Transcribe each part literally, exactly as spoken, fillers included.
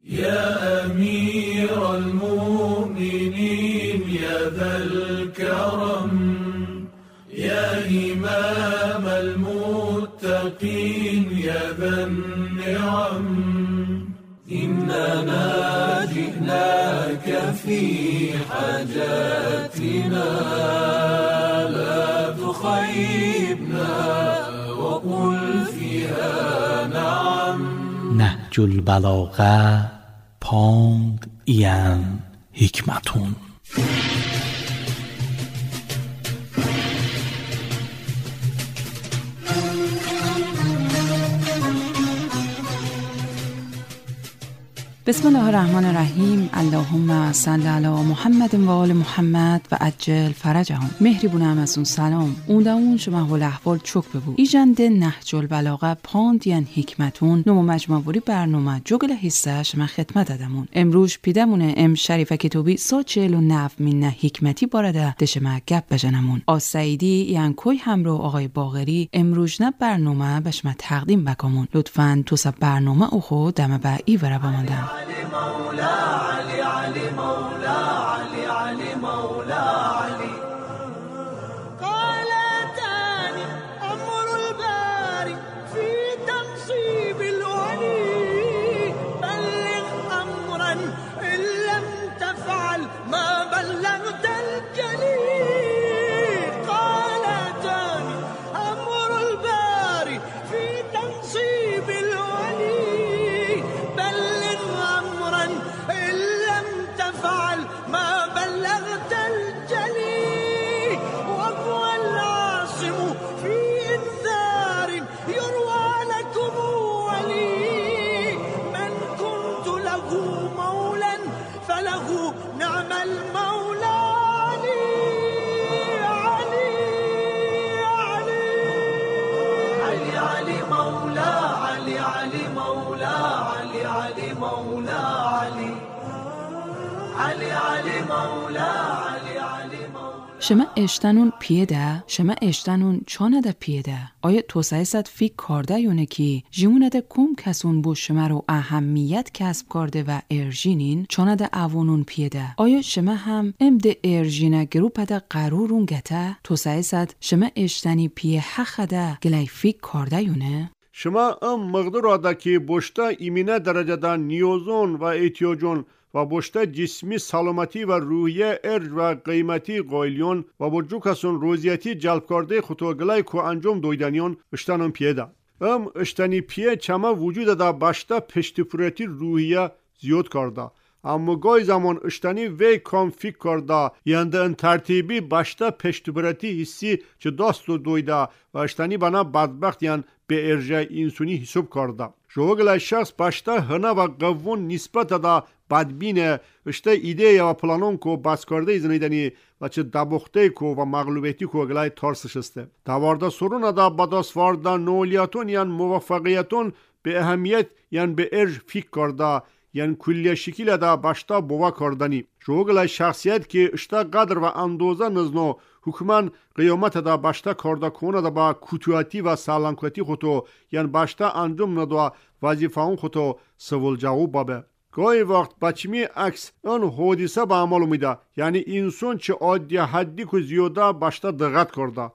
يا أمير المؤمنين يا ذا الكرم يا إمام المتقين يا ذا النعم إننا جئناك في حاجاتنا لا تخيبنا وقل فيها نعم. نهج البلاغه پاند این حکمتون. بسم الله الرحمن الرحیم. اللهم صل علی محمد و آل محمد و عجل فرجهم. مهربونم از اون سلام اون اون شما حال احوال چک ببو ایجند نهج البلاغه پاندین حکمتون نمو مجموعی برنامه جگل حصه شما خدمت دادمون. امروز پیدمونه ام شریفه کتوبی سا چهل و نو من حکمتی بارده دشما گپ بجنمون. آ سعیدی یعنی کوی همرو آقای باقری امروز نه برنامه به شما تقدیم بکمون. لطفاً تو سب برنامه او خود دم به ای وره بماندم. علي مولا علي علي مولا علي علي مولا علي قال تاني أمر الباري في تنصيب الولي بلغ أمرا إن لم تفعل ما بلغت الجليل. قال تاني أمر الباري في تنصيب الولي بلغ إن لم تفعل ما بلغت الجلي وهو العاصم في إنذار يروى لكم ولي من كنت له مولا فله نعم المولى. علي علي علي علي علي مولا علي علي مولا علي علي مولا علي علی علی مولا علی علی مولا. شما اشتنون پیده شما اشتنون چانه پیده آیا توسعه صد فیک کارده یونه کی جیمونه ده کم کسون بو شما رو اهمیت کسب کرده و ارژینین چانه ده اوانون پیده آیا شما هم ام ده ارژینه گروپ ده قرارون گته توسعه صد شما اشتنی پیه حق ده گلی فیک کرده یونه؟ شما ام مقدار boşta imine dereceden niyozun ve ihtiyacun و boşta cismi salamati ve ruhiye erj ve qıymeti qoyliyon ve bu cukasun roziyeti celp karde xutogilay ku ancom doydaniyon iştanın piyeda. Em iştani piye çama vücuda da başta peştipureti ruhiye ziyod karda. Ama goy zaman iştani ve konfik karda yani en tertibi başta peştipureti hissi çe dostu doyda ve iştani bana badbaxt yani be erje insuni hesap karda. Joğla şahs başta hına ve gavun nispet da badbine işte ideya ve planın ko baskarda izinideni ve çe dabuxte ko ve mağlubiyeti ko glay tarsışıstı. Davarda sorun da badasvarda noliyatun yani muvaffaqiyatun be ehemmiyet yani be erj fik karda yani külliye şekilde da başta bova kardani. Joğla şahsiyet ki işte kadr ve andoza nızno hükmen qiyamete da başta karda kona da ba kutuati ve sağlamkati xutu yani başta ancum nada vazifaun xutu sıvılcağı babe. گاهی وقت بچمی عکس آن حادثه به عمل میده یعنی انسان چه عادی حدی که زیاده başta دقت کرده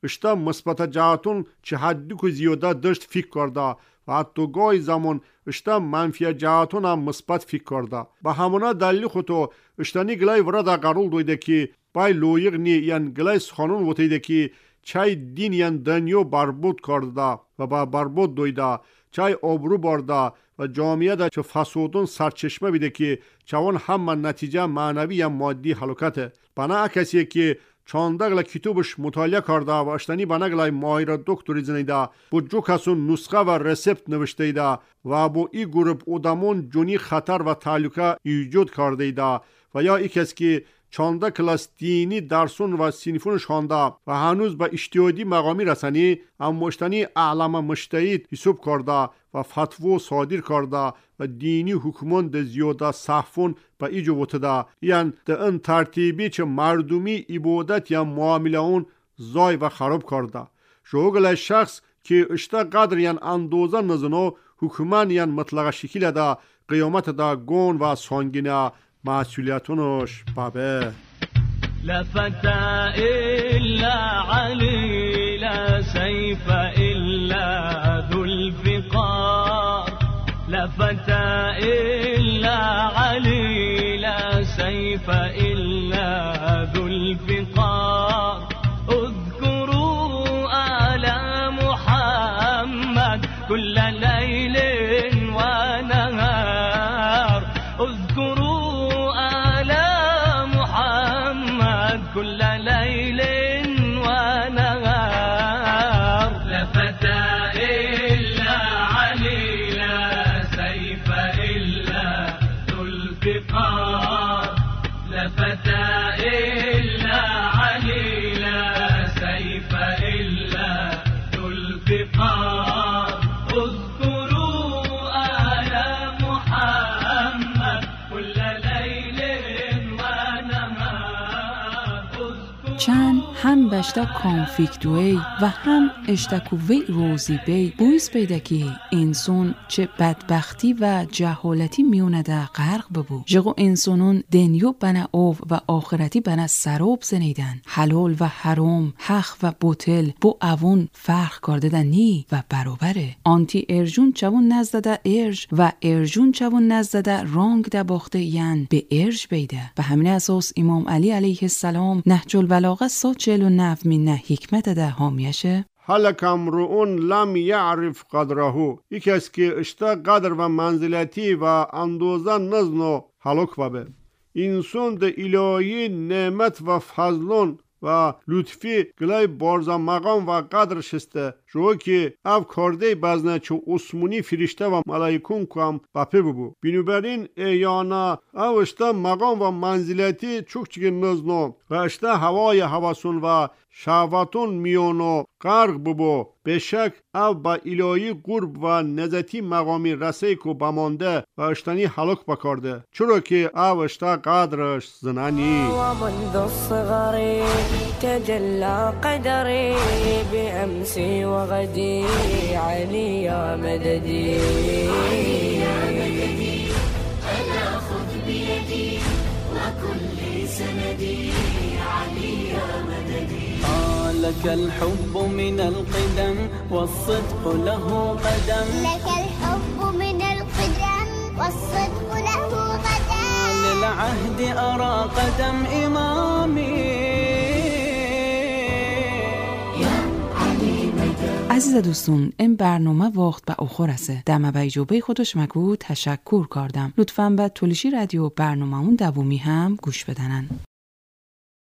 işte مثبت جهتون چه حدی که زیاده داشت فکر کرده و حتی گاهی زمان işte منفی جهتون هم مثبت فکر کرده به همونا دلیل خودو اشتنی گلای ورده قرول دویده که بای لویق نی یعنی گلای سخانون وتیده که چای دین یعنی دنیا بربود کرده و با بربود دویده چای آبرو برده و جامعه da چه فسودون سرچشمه بیده که چوان همه نتیجه معنوی یا مادی هلاکته. بنا کسی که چاندقla kitobش مطالعه کرده و اشتنی بنا ماهر دکتری زنیده bu cukasun nusxa ve resept نوشته و bu ای گروپ odamon جونی خطر و تهلکه ایجاد کرده و یا ای کس که چانده کلاس دینی درسون و sinifun شانده و هنوز به اجتهادی مقامی رسانی اما اشتنی اعلام مجتهد حساب کرده و فتوا صادر کرده و دینی حکمان ده زیاده صحفون به ایجو وتده یعنی ده این ترتیبی چه مردمی عبادت یا معامله اون زای و خراب کرده. شوگل شخص که اشتا قدر یعنی اندوزه نزنو حکومن یان مطلق شکل دا قیامت دا گون و سانگینا مسئولیتونش بابه. لا فتى إلا علي لا سيف إلا ذو الفقار لا فتى إلا علي لا سيف إلا ذو الفقار اذكروا آل محمد كل ليل ونهار اذكروا آل محمد كل ليل ونهار لا فتى إلا علي لا سيف إلا ذو الفقار لا فتى إلا علي لا سيف إلا ذو الفقار اذكروا آل محمد كل ليل ونهار چند هم بشتا کانفیکتوی و هم اشتکوی روزی بی بویس پیدا که انسان چه بدبختی و جهالتی میونه ده غرق ببو. جگو انسانون دنیو بنا او و آخرتی بنا سراب زنیدن. حلال و حرام، حق و باطل بو اوون فرق کرده ده نی و برابره. آنتی ارجون چوون نزده ده ارج و ارجون چوون نزده ده رانگ ده باخته ین به ارج بیده. به همین اساس امام علی علیه السلام نهج البلاغه سا چهل و نه می نه حکمت ده حامیشه هلك امرؤ لم يعرف قدره یکی که اشتا قدر و منزلتی و اندوزه نزنو هلاک بابه. انسان ده الهی نعمت و فضلون و لطفی گلای بارزا مقام و قدر شسته جو که او کرده بزنه چو عثمانی فرشته و ملائکون کام بپه ببو. بنابراین ایانا او اشتا مقام و منزلتی چوک چگه نزنو و اشتا هوای هواسون و شهواتون میونو غرق ببو. بشک او با الهی قرب و نزتی مقامی رسه کو بمانده و اشتانی هلاک بکارده چرا که او اشتا قدرش زنانی. ومنذ الصغر تجلى قدري بأمسي وغدي علي يا مددي علي يا مددي ألا خذ بيدي وكل سندي علي يا مددي. لك الحب من القدم والصدق له قدم لك الحب من القدم والصدق له قدم للعهد أرى قدم إمامي يا علي مدد. عزیز دوستون این برنامه وقت به آخر رسه. دم به اجابه خودش مگو تشکر کردم. لطفاً به تولیشی رادیو برنامه اون دومی هم گوش بدنن.